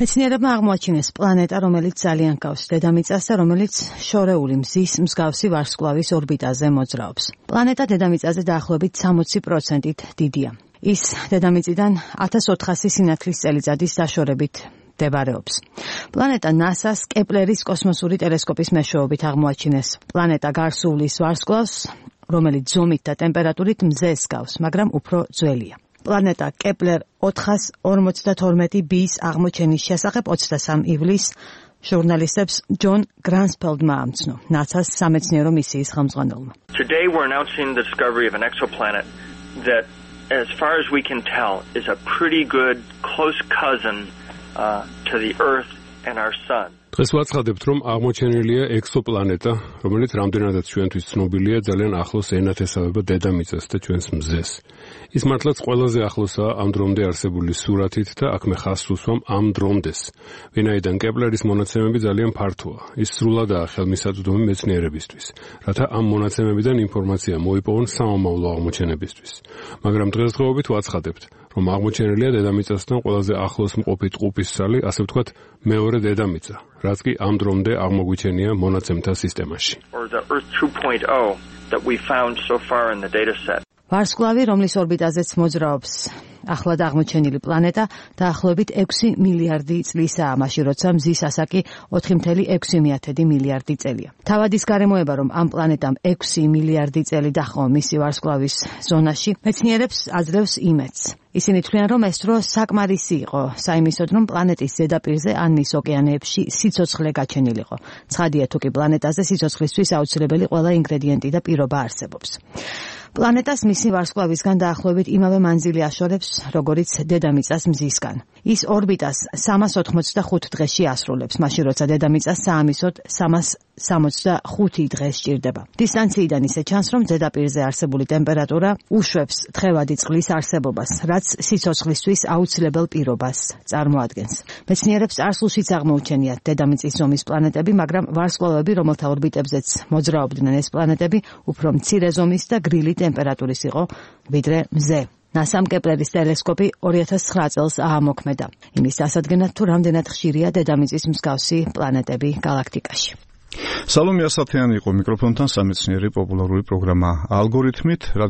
მეცნიერებმა აღმოაჩინეს პლანეტა, რომელიც ძალიან გავს დედამიწას და რომელიც შორეული მზის მსგავსი ვარსკვლავის ორბიტაზე მოძრაობს. პლანეტა დედამიწაზე დაახლოებით 60%-ით დიდია. ის დედამიწიდან 1400 სინათლის წელიწადის დაშორებით მდებარეობს. პლანეტა NASA-ს კეპლერის კოსმოსური ტელესკოპის მეშვეობით აღმოაჩინეს. პლანეტა გარსუვლის ვარსკვლავს, რომელიც ზომით და ტემპერატურით მზეს გავს, მაგრამ უფრო ძველია. პლანეტა კეპლერ 452b-ის აღმოჩენის შესახებ 23 ივლისს ჟურნალისტებს ჯონ გრანსფელდმა ამცნო, NASA-ს სამეცნიერო მისიის ხელმძღვანელმა. Today we're announcing the discovery of an exoplanet that, as far as we can tell, is a pretty good close cousin to the Earth and our Sun. დღეს ვაცხადებთ, რომ აღმოჩენილია ექსოპლანეტა, რომელიც რამდენადაც ჩვენთვის ცნობილია, ძალიან ახლოს ენათესავება დედამიწას და ჩვენს მზეს. ის მართლაც ყველაზე ახლოსაა ამ დრომდე არსებული სურათით და აქ მე ხაზს უსვამ ამ დრომდეს. ვინაიდან კეპლერის მონაცემები ძალიან ფართოა. ის სრულადაა ხელმისაწვდომი მეცნიერებისთვის, რათა ამ მონაცემებიდან ინფორმაცია მოიპოვონ სამომავლო აღმოჩენებისთვის. მაგრამ დღესდღეობით ვაცხადებთ, რომ აღმოჩენილია დედამიწასთან ყველაზე ახლოს მყოფი ტყუპის ცალი, ასე ვთქვათ, მეორე დედამიწა, რაც კი ამ დრომდე აღმოგვიჩენია მონაცემთა სისტემაში. ვარსკვლავი, რომლის ორბიტაზეც მოძრაობს ახლად აღმოჩენილი პლანეტა, დაახლოებით 6 მილიარდი წლისაა, მაშინ როცა მზის ასაკი 4,6 მილიარდი წელია. თავად ის გარემოება, რომ ამ პლანეტამ 6 მილიარდი წელი დაჰყო მისი ვარსკვლავის ზონაში, მეცნიერებს აძლევს იმედს. ისინი თვლიან, რომ ეს დრო საკმარისი იყო საიმისოდ, რომ პლანეტის ზედაპირზე ან მის ოკეანეებში სიცოცხლე გაჩენილიყო. ცხადია, თუ კი პლანეტაზე სიცოცხლისთვის აუცილებელი ყველა ინგრედიენტი და პირობა არსებობს. პლანეტას მისი ვარსკვლავისგან დაახლოებით იმავე მანძილი აშორებს, როგორიც დედამიწას მზისგან. ის ორბიტას 385 დღეში ასრულებს, მაშინ როცა დედამიწას საამისოდ 365 დღეს სჭირდება. დისტანციიდან ისე ჩანს, რომ ზედაპირზე არსებული ტემპერატურა უშვებს თხევადი წყლის არსებობას, რაც სიცოცხლისთვის აუცილებელ პირობას წარმოადგენს. მეცნიერებს წარსულშიც აღმოუჩენიათ დედამიწის ზომის პლანეტები, მაგრამ ვარსკვლავები, რომელთა ორბიტებზეც მოძრაობდნენ ეს პლანეტები, უფრო მცირე ზომის და გრილი ტემპერატურის იყო, ვიდრე მზე. NASA-მ კეპლერის ტელესკოპი 2009 წელს აამოქმედა. იმის დასადგენად, თუ რამდენად ხშირია დედამიწის მსგავსი პლანეტები გალაქტიკაში. სალომე ასათიანი იყო მიკროფონთან სამეცნიერო პოპულარული პროგრამა ალგორითმით.